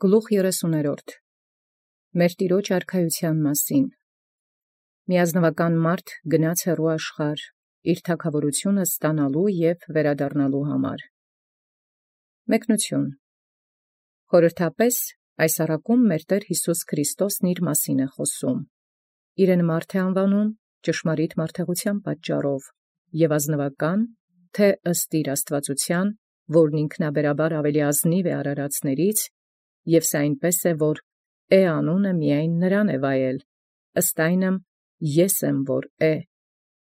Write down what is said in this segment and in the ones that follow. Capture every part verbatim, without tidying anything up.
Գլուխ երեսուներորդ. Մեր Տիրոջ արքայութեան մասին։ Միազնուական մարդ գնաց հեռու աշխարհ, իր թագաւորութիւնը ստանալու և վերադառնալու համար։ Մեկնություն. Խորհրդապես այս առակում մեր Տէր Յիսուս Քրիստոսն իր մասին է խոսում։ Իրեն մարդ է անվանում ճշմարիտ մարդեղութեան պատճառով, և ազնուական, թե ըստ իր աստվածութեան, որն ինքնաբերաբար ավելի ազնիվ է արարածներից, և սա այնպես է, որ «Է» անունը միայն նրան է վայել, ըստ այնմ «Ես եմ, որ է»,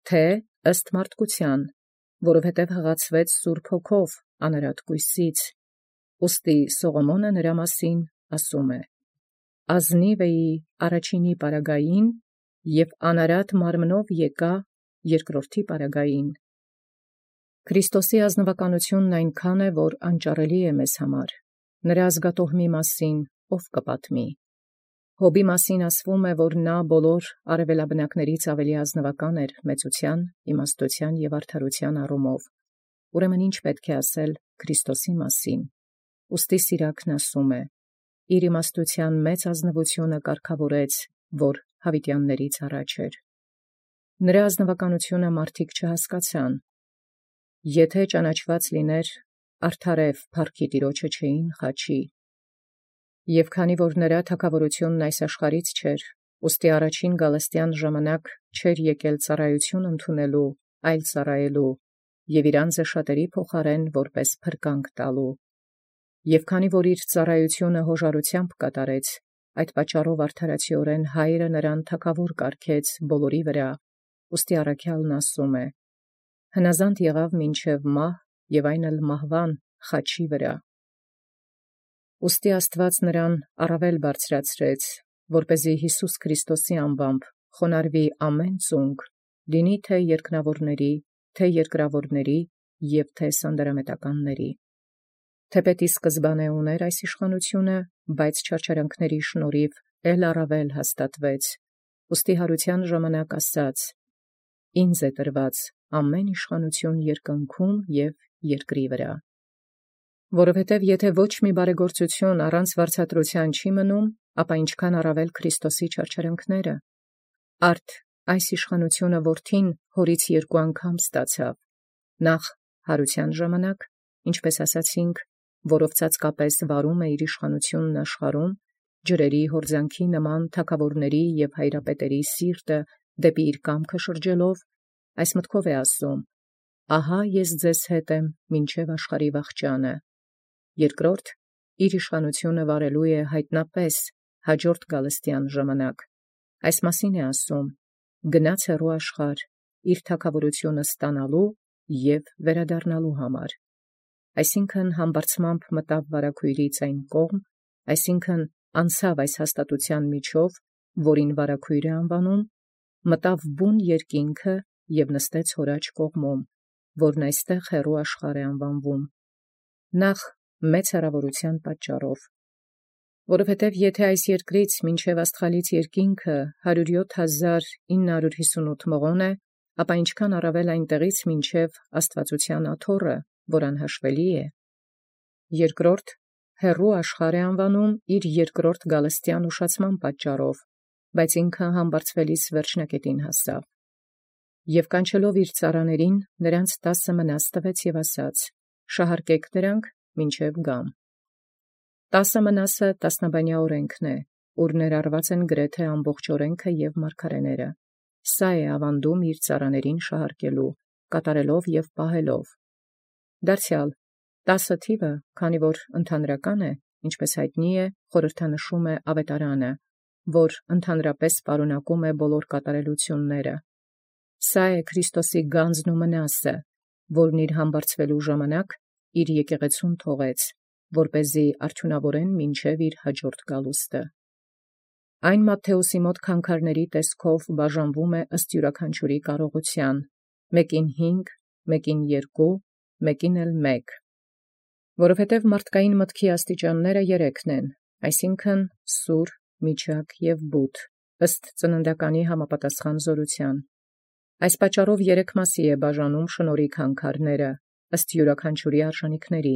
թե ըստ մարդկութեան, որովհետև հղացվեց Սուրբ Հոգով անարատ կույսից։ Ուստի Սողոմոնը նրա մասին ասում է. «Ազնիվ էի առաջինի պարագային, և անարատ մարմնով եկա երկրորդի պարագային»։ Քրիստոսի ազնվականութիւնն այնքան է, որ անճարելի է մեզ համար։ Նրա ազգատոհմի մասին ո՛վ կպատմի։ Հոբի մասին ասվում է, որ նա բոլոր արևելաբնակներից ավելի ազնվական էր մեծութեան, իմաստութեան և արդարութեան առումով։ Ուրեմն ի՞նչ պետք է ասել Քրիստոսի մասին։ Ուստի Սիրակն ասում է. «Իր իմաստութեան մեծ ազնուութիւնը կարգաւորեց, որ յաւիտեաններից առաջ էր»։ Նրա ազնվականութիւնը մարդիկ չհասկացան։ Եթէ ճանաչուած լիներ, արդարեւ փառքի Տիրոջը չէին խաչի։ Եւ քանի որ նրա թագաւորութիւնն այս աշխարհից չէր, ուստի առաջին գալստեան ժամանակ չէր եկել ծառայութիւն ընդունելու, այլ ծառայելու, և իր անձը շատերի փոխարեն որպես փրկանք տալու։ Եւ քանի որ իր ծառայութիւնը յոժարութեամբ կատարեց, այդ պատճառով արդարացիորեն Հայրը նրան թագաւոր կարգեց բոլորի վրա, ուստի առաքեալն ասում է. «Հնազանդ եղաւ մինչև մահ, և այն էլ մահվան խաչի վրա»։ Ուստի Աստուած նրան առավել բարձրացրեց, որպեսզի Յիսուս Քրիստոսի անուամբ խոնարհվի ամեն ծունկ, լինի թե երկնաւորների, թե երկրաւորների և թե սանդարամետականների։ Թէպէտ ի սկզբանէ ունէր այս իշխանութիւնը, բայց չարչարանքների շնորհիվ էլ առավել հաստատվեց, ուստի յարութեան ժամանակ ասաց. «Ինձ է տրված ամեն իշխանութիւն երկնքում և երկրի վրա»։ Որովհետև եթէ ոչ մի բարեգործութիւն առանց վարձատրութեան չի մնում, ապա ինչքան առավել Քրիստոսի չարչարանքները։ Արդ այս իշխանութիւնը որդին հորից երկու անգամ ստացաւ. նախ յարութեան ժամանակ, ինչպէս ասացինք, որով ծածկապես վարում է իր իշխանութիւնն աշխարհում, ջրերի հորձանքի նման թագաւորների և հայրապետերի սիրտը դեպի իր կամքը շրջելով, այս մտքով է ասում. «Ահա ես ձեզ հետ եմ մինչև աշխարհի վախճանը»։ Երկրորդ, իր իշխանութիւնը վարելու է յայտնապէս յաջորդ գալստեան ժամանակ։ Այս մասին է ասում. «Գնաց հեռու աշխարհ, իր թագաւորութիւնը ստանալու և վերադառնալու համար»։ Այսինքն համբարձմամբ մտաւ վարագոյրից այն կողմ, այսինքն անցաւ այս հաստատութեան միջով, որին վարագոյր է անվանում, մտաւ բուն երկինքը և նստեց հոր աջ կողմում, որն այստեղ հեռու աշխարհ է անվանվում։ Նախ մեծ հեռավորութեան պատճառով։ Որովհետև եթէ այս երկրից մինչև աստղալից երկինքը հարյուր յոթ հազար ինը հարյուր յիսունութ մղոն է, ապա ինչքան առավել այնտեղից մինչև աստուածութեան աթոռը, որ անհաշվելի է։ Երկրորդ, հեռու աշխարհ է անվանում իր երկրորդ գալստեան ուշացման պատճառով, բայց ինքը համբարձվելիս վերջնակետին հասավ։ Եւ կանչելով իր ծառաներին, նրանց տասը մնաս տվեց և ասաց. «Շահարկեք դրանք մինչև գամ»։ Տասը մնասը տասնաբանյա օրենքն է, ուր ներառված են գրեթե ամբողջ օրենքը և մարգարեները։ Սա է աւանդում իր ծառաներին շահարկելու, կատարելով և պահելով։ Դարձեալ տասը թիվը, քանի որ ընդհանրական է, ինչպես յայտնի է, խորհրդանշում է աւետարանը, որ ընդհանրապես պարունակում է բոլոր կատարելութիւնները։ Սա է Քրիստոսի գանձն ու մնասը, որն իր համբարձվելու ժամանակ իր եկեղեցուն թողեց, որպեսզի արդիւնաւորեն մինչև իր յաջորդ գալուստը։ Այն Մատթէոսի մոտ քանքարների տեսքով բաժանվում է ըստ իւրաքանչիւրի կարողութեան, մեկին հինգ, մեկին երկու, մեկին էլ մեկ։ Որովհետև մարդկային մտքի աստիճանները երեքն են, այսինքն՝ սուր, միջակ և բութ, ըստ ծննդականի համապատասխան զօրութեան։ Այս պատճառով երեք մասի է բաժանում շնորհի քանքարները, ըստ իւրաքանչիւրի արժանիքների,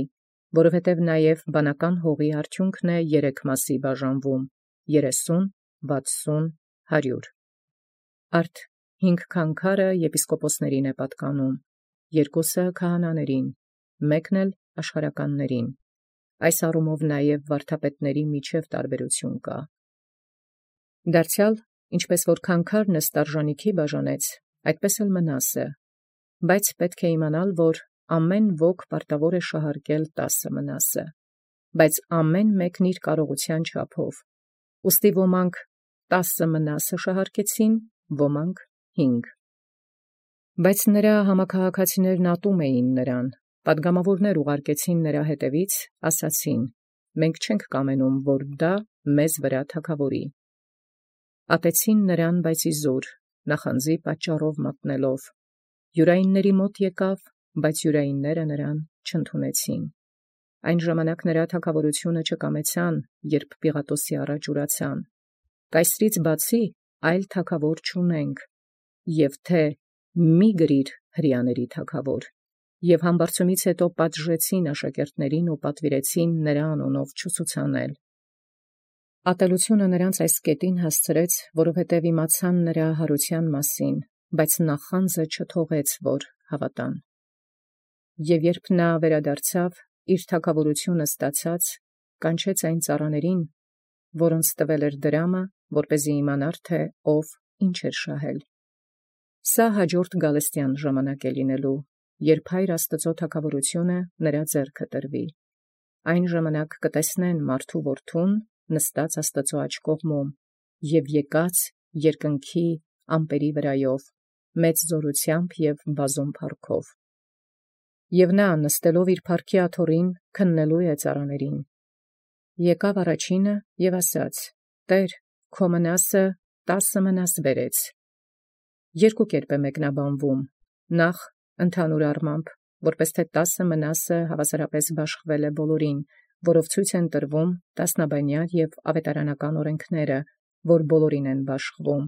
որովհետև նաև բանական հողի արդյունքն է երեք մասի բաժանվում. երեսուն, վաթսուն, հարյուր։ Արդ հինգ քանքարը եպիսկոպոսներին է պատկանում, երկուսը քահանաներին, մեկն էլ աշխարհականներին։ Այս առումով նաև վարդապետների միջև տարբերություն կա։ Դարձյալ, ինչպես որ քանքարն ստարժանիքի բաժանեց, այդպես էլ Մնասը, բայց պետք է իմանալ, որ ամեն ոք պարտավոր է շահարկել տասը Մնասը, բայց ամեն մեկն իր կարողության չափով։ Ուստի ոմանք տասը Մնասը շահարկեցին, ոմանք հինգ։ Բայց նրա համաքաղաքացիներն ատում էին նրան, պատգամավորներ ուղարկեցին նրա հետևից, ասացին. մենք չենք կամենում, որ դա մեզ վրա թագավորի։ Ատեցին նրան, բայց իզուր, նախանձի պատճառով մատնելով։ Յուրայինների մոտ եկավ, բայց յուրայինները նրան չընդունեցին։ Այն ժամանակ նրա թագավորությունը չկամեցան, երբ Պիղատոսի առաջ ուրացան. Կայսրից բացի այլ թագավոր չունենք, և թե մի գրիր հրեաների թագավոր։ Եվ համբարձումից հետո պատժեցին աշակերտներին ու պատվիրեցին նրա անունով չուսուցանել։ Ատելությունը նրանց այս կետին հասցրեց, որովհետև իմացան նրա հարության մասին, բայց նախանձը չթողեց, որ հավատան։ Եվ երբ նա վերադարձավ, իր թագավորությունը ստացած, կանչեց այն ծառաներին, որոնց տվել էր դրամը, որպեսզի իմանար, թե ով ինչ էր շահել։ Սա հաջորդ գալստյան ժամանակ է լինելու, երբ Հայր Աստծո թագավորությունը նրա ձեռքը տրվի։ Այն ժամանակ կտեսնեն մարդու որդուն նստած Աստծո աջ կողմում և եկած երկնքի ամպերի վրայով, մեծ զորությամբ և բազում փառքով։ Եվ նա նստելով իր փառքի աթոռին քննելու է ծառաներին։ Եկավ առաջինը և ասաց. Տեր, քո Մնասը տասը Մնաս բերեց։ Երկու կերպ է մեկնաբանվում. նախ ընդհանուր առմամբ, որպես թե տասը Մնասը հավասարապես բաշխվել է բոլորին, որով ցույց են տրվում տասնաբանյա և ավետարանական օրենքները, որ բոլորին են բաշխվում,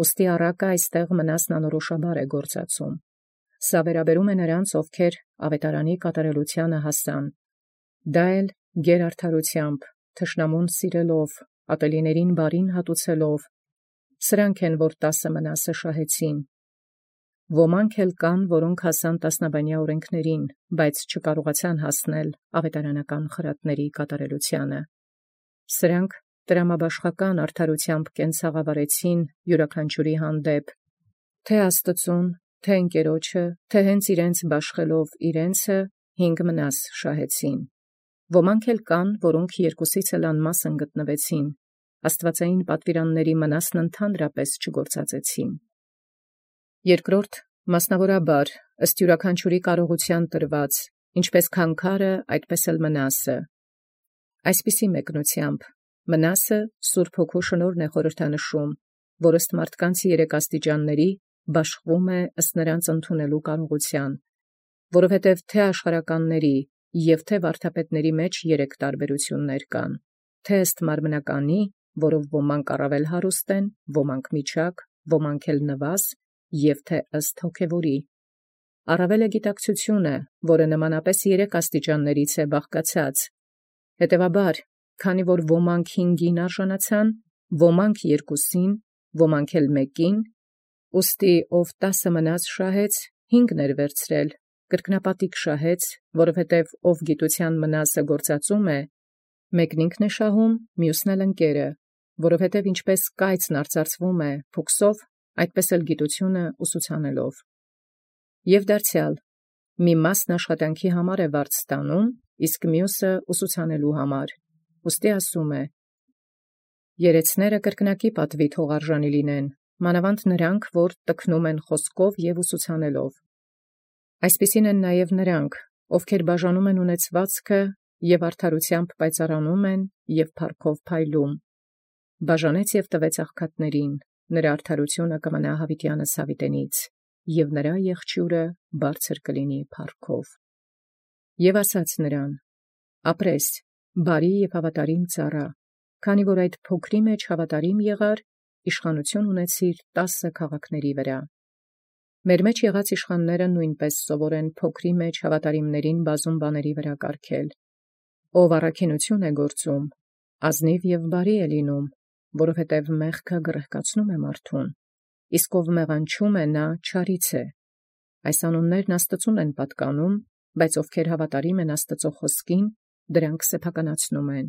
ուստի առակը այստեղ Մնասն անորոշաբար է գործածում։ Սա վերաբերում է նրանց, ովքեր ավետարանի կատարելությանը հասան, դա էլ գերարդարությամբ, թշնամուն սիրելով, ատելիներին բարին հատուցելով, սրանք են, որ տասը Մնասը շահեցին։ Ոմանք էլ կան, որոնք հասան տասնաբանյա օրենքներին, բայց չկարողացան հասնել ավետարանական խրատների կատարելությանը։ Սրանք տրամաբաշխական արդարությամբ կենցաղավարեցին յուրաքանչյուրի հանդեպ, թե Աստծուն, թե ընկերոջը, թե հենց իրենց բաշխելով իրենցը հինգ Մնաս շահեցին։ Ոմանք էլ կան, որոնք երկուսից էլ անմասն գտնվեցին, աստվածային պատվիրանների Մնասն ընդհանրապես չգործածեցին։ Երկրորդ, մասնավորաբար, ըստ յուրաքանչյուրի կարողության տրված, ինչպես քանքարը, այդպես էլ Մնասը։ Այսպիսի մեկնությամբ, Մնասը Սուրբ Հոգու շնորհն է խորհրդանշում, որ ըստ մարդկանց երեք աստիճանների բաշխվում է ըստ նրանց ընդունելու կարողության, որովհետև թե աշխարհականների և թե վարդապետների մեջ երեք տարբերություններ կան, թե ըստ մարմնականի, որով ոմանք առավել հարուստ են, ոմանք միջակ, ոմանք էլ նվազ, և թե ըստ հոգևորի։ Առավել է գիտակցությունը, որը նմանապես երեք աստիճաններից է բաղկացած։ Հետևաբար, քանի որ ոմանք հինգին արժանացան, ոմանք երկուսին, ոմանք էլ մեկին, ուստի ով տասը Մնաս շահեց, հինգն էր վերցրել, կրկնապատիկ շահեց, որովհետև ով գիտության Մնասը գործածում է, մեկն ինքն է շահում, մյուսն էլ ընկերը, որովհետև ինչպես կայծն արծարծվում է փուքսով, այդպես էլ գիտությունը ուսուցանելով։ Եվ դարձյալ, մի մասն աշխատանքի համար է վարձ ստանում, իսկ մյուսը ուսուցանելու համար, ուստի ասում է. երեցները կրկնակի պատվի թողարժանի լինեն, մանավանդ նրանք, որ տքնում են խոսքով և ուսուցանելով։ Այսպիսին են նաև նրանք, ովքեր բաժանում են ունեցվածքը և արդարությամբ պայծառանում են և փառքով փայլում։ Բաժանեց և տվեց աղքատներին, նրա արդարությունը կմնա Յաւիտյանս յաւիտենից, և նրա եղջյուրը բարձր կլինի փառքով։ Եվ ասաց նրան. ապրես, բարի և հավատարիմ ծառա, քանի որ այդ փոքրի մեջ հավատարիմ եղար, իշխանություն ունեցիր տասը քաղաքների վրա։ Մեր մեջ եղած իշխանները նույնպես սովոր են փոքրի մեջ հավատարիմներին բազում բաների վրա կարգել, Ով առաքինութիւն է գործում, ազնիվ և բարի է լինում, որովհետև մեղքը գրհկացնում է մարդուն, իսկ ով մեղանչում է, նա չարից է։ Այս անուններն Աստծուն են պատկանում, բայց ովքեր հավատարիմ են Աստծո խոսքին, դրանք սեփականացնում են։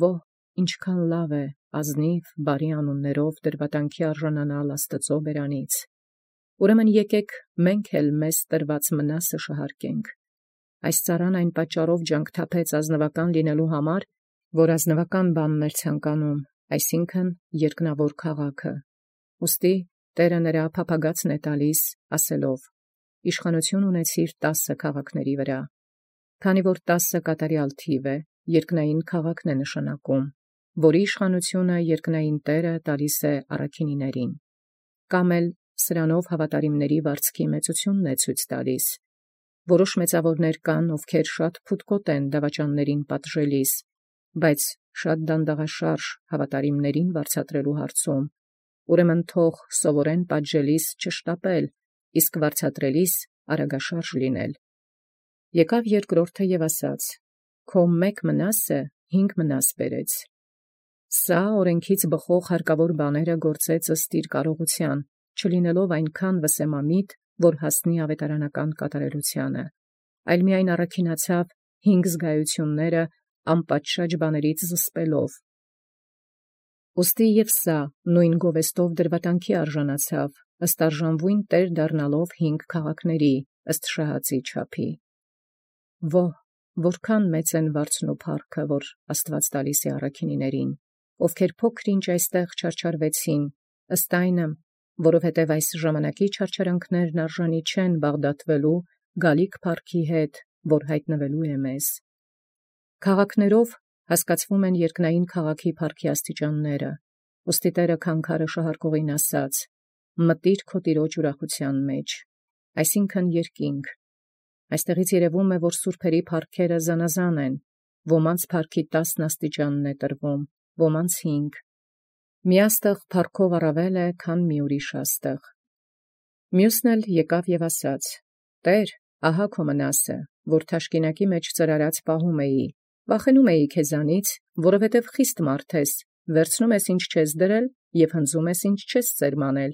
Ո՛հ, ինչքան լավ է ազնիվ բարի անուններով դրվատանքի արժանանալ Աստծո բերանից։ Ուրեմն եկեք մենք էլ մեզ տրված մնասը շահարկենք։ Այս ծառան այն պատճառով ջանք թափեց ազնվական լինելու համար, որ ազնվական բանն էր ցանկանում, այսինքն երկնավոր քաղաքը։ Ուստի Տերը նրա փափագացն է տալիս, ասելով. իշխանություն ունեցիր տասը քաղաքների վրա։ Քանի որ տասը կատարյալ թիվ է, երկնային քաղաքն է նշանակում, որի իշխանությունը երկնային Տերը տալիս է առաքինիներին։ Կամ էլ սրանով հավատարիմների վարձքի մեծությունն է ցույց տալիս։ Որոշ մեծավորներ կան, ովքեր շատ փութկոտ են դավաճաններին պատժելիս, բայց շատ դանդաղաշարժ հավատարիմներին վարձատրելու հարցում, ուրեմն թող սովորեն պատժելիս չշտապել, իսկ վարձատրելիս արագաշարժ լինել։ Եկավ երկրորդը և ասաց. քո մեկ մնասը հինգ մնաս բերեց։ Սա օրենքից բխող հարկավոր բաները գործեց ըստ իր կարողության, չլինելով այնքան վսեմամիտ, որ հասնի ավետարանական կատարելությանը, այլ միայն առաքինացավ հինգ զգայությունները անպատշաճ բաներից զսպելով։ Ուստի և սա նույն գովեստով դրվատանքի արժանացավ, ըստ արժանվույն տեր դառնալով հինգ քաղաքների, ըստ շահածի չափի։ Ո՛հ, որքան մեծ են վարձն ու փառքը, որ Աստված տալիս է առաքինիներին, ովքեր փոքր-ինչ այստեղ չարչարվեցին, ըստ այնմ, որովհետև այս ժամանակի չարչարանքներն արժանի չեն բաղդատվելու գալիք փառքի հետ, որ հայտնվելու է մեզ։ Քաղաքներով հասկացվում են երկնային քաղաքի փառքի աստիճանները, ուստի Տերը քանքարը շահարկողին ասաց. մտիր քո տիրոջ ուրախության մեջ, այսինքն երկինք։ Այստեղից երևում է, որ սուրբերի փառքերը զանազան են, ոմանց փառքի տասն աստիճանն է տրվում, ոմանց հինգ։ Մի աստղ փառքով առավել է, քան մի ուրիշ աստղ։ Մյուսն էլ եկավ և ասաց. Տեր, ահա քո մնասը, որ թաշկինակի մեջ ծրարած պահում էի, վախենում էի քեզանից, որովհետև խիստ մարդ ես, վերցնում ես ինչ չես դրել և հնձում ես ինչ չես սերմանել։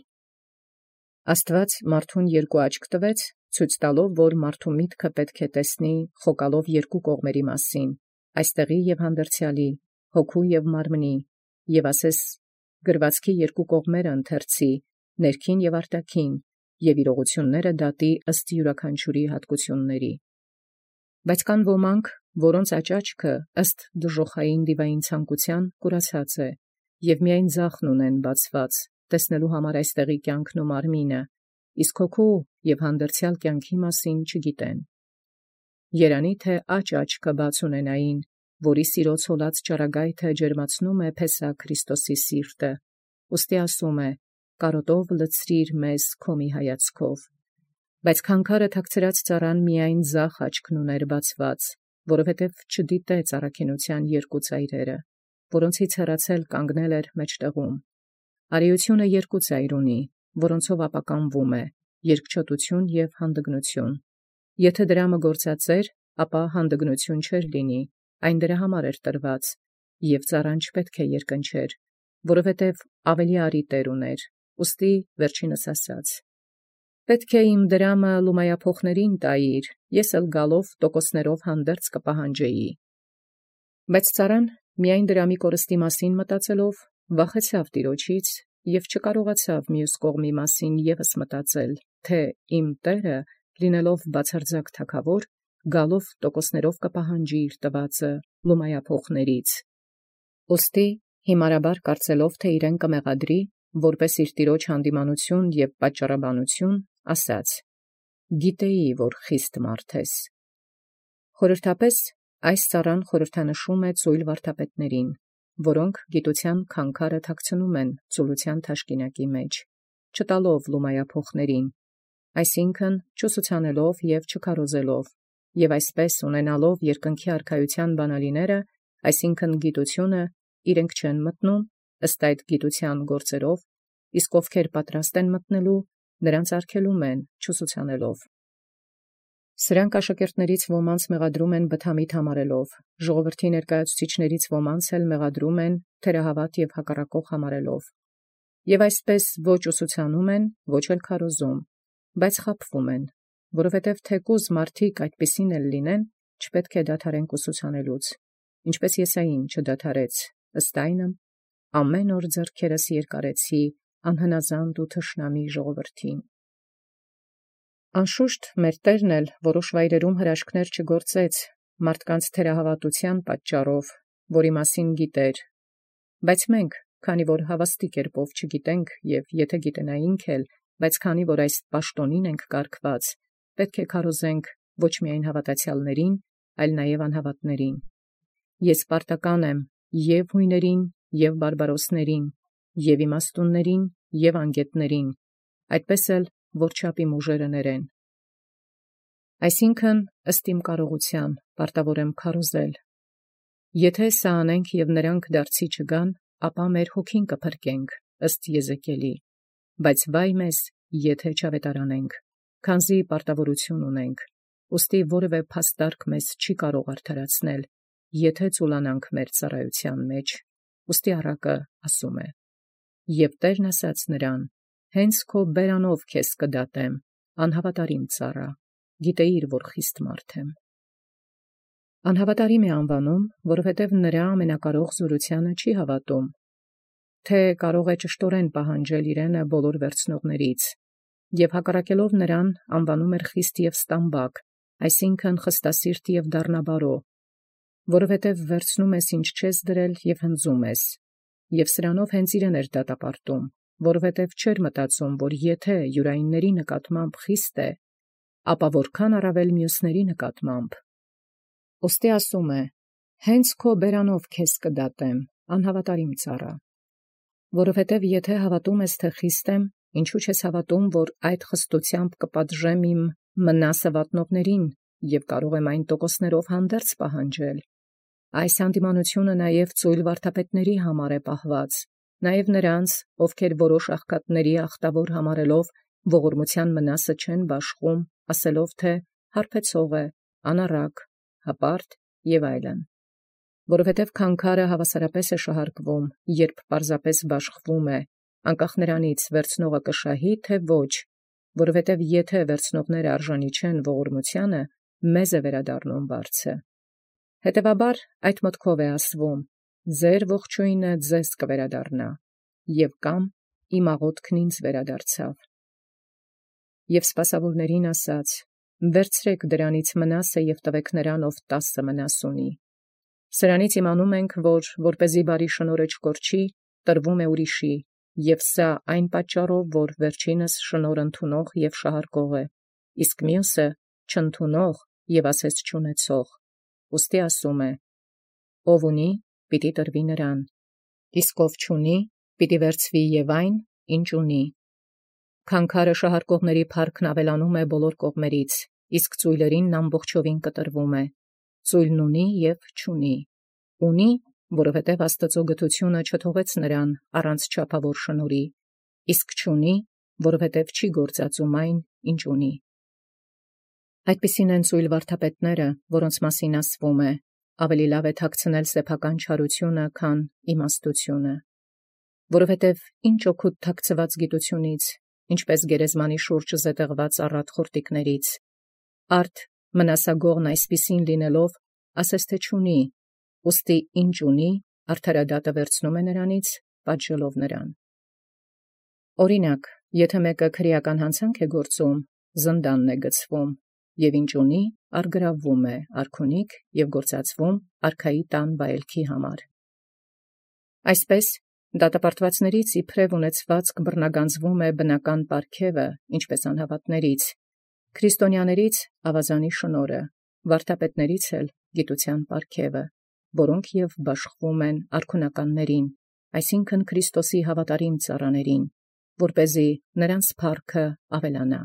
Աստված մարդուն երկու աչք տվեց, ցույց տալով, որ մարդու միտքը պետք է տեսնի խոկալով երկու կողմերի մասին, այստեղի և հանդերձյալի, հոգու և մարմնի, և ասես գրվածքի երկու կողմերը ընթերցի, ներքին և արտաքին, և իրողությունները դատի ըստ յուրաքանչյուրի հատկությունների։ Բայց կան ոմանք, որոնց աճաճքը ըստ դժոխային դիվային ցանկության կուրացած է, և միայն ձախն ունեն բացված, տեսնելու համար այստեղի կյանքն ու մարմինը, իսկ հոգու և հանդերձյալ կյանքի մասին չգիտեն։ Երանի թե աջ աչքը բաց ունենային, որի սիրո ցոլած ճառագայթը ջերմացնում է Փեսա Քրիստոսի սիրտը, ուստի ասում է. կարոտով լցրիր մեզ քո մի հայացքով։ Բայց քանքարը թաքցրած ծառան միայն ձախ աչքն ուներ բացված, որովհետև չդիտեց առաքինության երկու ծայրերը, որոնցից հեռացել կանգնել էր մեջտեղում։ Արիությունը երկու ծայր ունի, որոնցով ապականվում է, երկչոտություն և հանդգնություն։ Եթե դրամը գործած էր, ապա հանդգնություն չէր լինի, այն դրա համար էր տրված, և ծառան չպետք է երկնչեր, որովհետև ավելի արի տեր ուներ, ուստի վերջինս ասաց. պետք է իմ դրամը լումայափոխներին տայիր, ես էլ գալով տոկոսներով հանդերձ կպահանջեի։ Բայց ծառան միայն դրամի կորստի մասին մտածելով վախեցավ տիրոջից և չկարողացավ մյուս կողմի մասին ևս մտածել, թե իմ տերը, լինելով բացարձակ թագավոր, գալով տոկոսներով կպահանջի իր տվածը լումայափոխներից։ Ուստի հիմարաբար կարծելով, թե իրեն կմեղադրի, որպես իր տիրոջ հանդիմանություն և պատճառաբանություն, ասաց. գիտեի, որ խիստ մարդ ես։ Խորհրդապես այս ծառան խորհրդանշում է ծույլ վարդապետներին, որոնք գիտության քանքարը թաքցնում են ծուլության թաշկինակի մեջ, չտալով լումայափոխներին, այսինքն չուսուցանելով և չքարոզելով, և այսպես ունենալով երկնքի արքայության բանալիները, այսինքն գիտությունը, իրենք չեն մտնում ըստ այդ գիտության գործերով, իսկ ովքեր պատրաստ են մտնելու, նրանց արգելում են չուսուցանելով։ Սրանք աշակերտներից ոմանց մեղադրում են բթամիտ համարելով, ժողովրդի ներկայացուցիչներից ոմանց էլ մեղադրում են թերահավատ եւ հակառակող համարելով, եւ այսպես ոչ ուսուցանում են, ոչ էլ քարոզում, բայց խաբվում են, որովհետեւ թեկուզ մարդիկ այդպիսին էլ լինեն, չպետք է դադարեն ուսուցանելուց, ինչպես Եսային չդադարեց, ըստ այնմ ամեն օր ձեռքերս երկարեցի անհնազանդ ու թշնամի ժողովրդին։ Անշուշտ մեր Տերն էլ որոշ վայրերում հրաշքներ չգործեց մարդկանց թերահավատության պատճառով, որի մասին գիտեր, բայց մենք, քանի որ հավաստի կերպով չգիտենք եւ եթե գիտենայինք էլ, բայց քանի որ այս պաշտոնին ենք կարգված, պետք է քարոզենք ոչ միայն հավատացյալներին, այլ նաեւ անհավատներին։ Ես պարտական եմ եւ հույներին, եւ բարբարոսներին, եւ իմաստուններին, եւ անգետներին, այդպես էլ որչապի ուժերը ներեն։ Այսինքն ըստ իմ կարողության պարտավոր եմ քարոզել։ Եթե սա անենք եւ նրանք դարձի չգան, ապա մեր հոգին կփրկենք ըստ Եզեկիելի, բայց վայ մեզ, եթե չավետարանենք, քանզի պարտավորություն ունենք, ուստի որևէ փաստարկ մեզ չի կարող արդարացնել, եթե ծուլանանք մեր ծառայության մեջ, ուստի առակը ասում է. «Եվ Տերն ասաց նրան. հենց քո բերանով քեզ կդատեմ, անհավատարիմ ծառա, գիտեիր, որ խիստ մարդ եմ»։ Անհավատարիմ է անվանում, որովհետև նրա ամենակարող զորությանը չի հավատում, թե կարող է ճշտորեն պահանջել իրենը բոլոր վերցնողներից, և հակառակելով նրան անվանում էր խիստ և ստամբակ, այսինքն խստասիրտ և դառնաբարո, որովհետև վերցնում ես ինչ չես դրել և հնձում ես, և սրանով հենց իրեն էր դատապարտում, որովհետև չէր մտածում, որ եթե յուրայինների նկատմամբ խիստ է, ապա որքան առավել մյուսների նկատմամբ։ Ոստի ասում է. հենց քո բերանով քեզ կդատեմ, անհավատարիմ ծառա, որովհետև եթե հավատում ես, թե խիստ եմ, ինչու չես հավատում, որ այդ խստությամբ կպատժեմ իմ մնասը վատնողներին և կարող եմ այն տոկոսներով հանդերձ պահանջել։ Այս հանդիմանությունը նաև ծույլ վարդապետների համար է պահված, նաև նրանց, ովքեր որոշ աղքատների ախտավոր համարելով ողորմության մնասը չեն բաշխում, ասելով թե հարբեցող է, անառակ, հպարտ և այլն, որովհետև քանքարը հավասարապես է շահարկվում, երբ պարզապես բաշխվում է, անկախ նրանից վերցնողը կշահի, թե ոչ, որովհետև եթե վերցնողները արժանի չեն ողորմությանը, մեզ է վերադառնում վարձը։ Հետևաբար այդ մտքով է ասվում. ձեր ողջույնը ձեզ կվերադառնա, և կամ իմ աղոթքն ինձ վերադարձավ։ Եվ սպասավորներին ասաց. վերցրեք դրանից մնասը և տվեք նրան, ով տասը մնաս ունի։ Սրանից իմանում ենք, որ որպեսզի բարի շնորհը չկորչի, տրվում է ուրիշի, և սա այն պատճառով, որ վերջինս շնորհ ընդունող և շահարկող է, իսկ մյուսը չընդունող և ասես չունեցող։ Ուստի ասում է. ով ունի, պիտի տրվի նրան, իսկ ով չունի, պիտի վերցվի և այն, ինչ ունի։ Քանքարը շահարկողների փառքն ավելանում է բոլոր կողմերից, իսկ ծույլերին ամբողջովին կտրվում է։ Ծույլն ունի և չունի։ Ունի, որովհետև Աստծո գթությունը չթողեց նրան առանց չափավոր շնորհի, իսկ չունի, որովհետև չի գործածում այն, ինչ ունի։ Այդպիսին են ծույլ վարդապետները, որոնց մասին ասվում է. ավելի լավ է թաքցնել սեփական չարությունը, քան իմաստությունը, որովհետև ինչ օգուտ թաքցված գիտությունից, ինչպես գերեզմանի շուրջ զետեղված առատ խորտիկներից, արդ մնասագողն այսպիսին լինելով, ասես թե չունի, ուստի ինչ ունի, արդարադատը վերցնում է նրանից, պատժելով նրան։ Օրինակ, եթե մեկը քրեական հանցանք է գործում, զնդանն է գցվում, և ինչ ունի, առգրավվում է արքունիք և գործածվում արքայի տան վայելքի համար։ Այսպես, դատապարտվածներից իբրև ունեցվածք բռնագանձվում է բնական պարգևը, ինչպես անհավատներից, քրիստոնյաներից ավազանի շնորհը, վարդապետներից էլ գիտության պարգևը, որոնք և բաշխվում են արքունականներին, այսինքն Քրիստոսի հավատարիմ ծառաներին, որպեսզի նրանց փառքը ավելանա։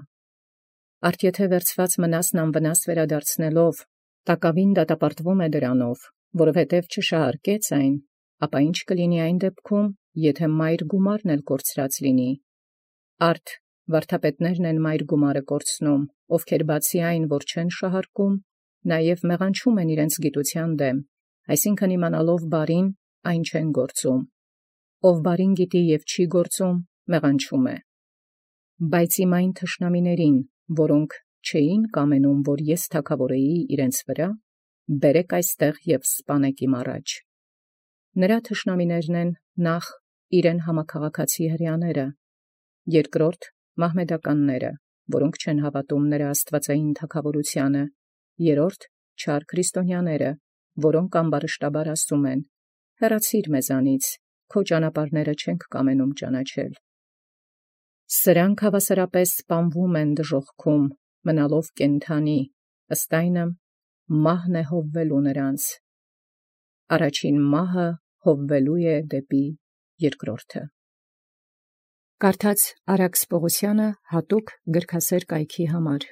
Արդ եթե վերցված մնասն անվնաս վերադարձնելով, տակավին դատապարտվում է դրանով, որովհետև չշահարկեց այն, ապա ինչ կլինի այն դեպքում, եթե մայր գումարն էլ կորցրած լինի։ Արդ Վարդապետներն են մայր գումարը կորցնում, ովքեր բացի այն, որ չեն շահարկում, նաև մեղանչում են իրենց գիտութեան դեմ, այսինքն իմանալով բարին, այն չեն գործում. ով բարին գիտի և չի գործում, մեղանչում է։ Բայց իմ այն թշնամիներին, որոնք չէին կամենում, որ ես թագավորեի իրենց վրա, բերեք այստեղ և սպանեք իմ առաջ։ Նրա թշնամիներն են նախ իրեն համաքաղաքացի հրեաները, երկրորդ մահմեդականները, որոնք չեն հավատում նրա աստվածային թագավորությանը, երրորդ չար քրիստոնյաները, որոնք ամբարշտաբար ասում են. հեռացիր մեզանից, քո ճանապարհները չենք կամենում ճանաչել։ Սրանք հավասարապես սպանվում են դժոխքում, մնալով կենդանի, ըստ այնը մահն է հովվելու նրանց։ Առաջին մահը հովվելու է դեպի երկրորդը։ Կարդաց Արաքս Պողոսյանը հատուկ գրքասեր կայքի համար։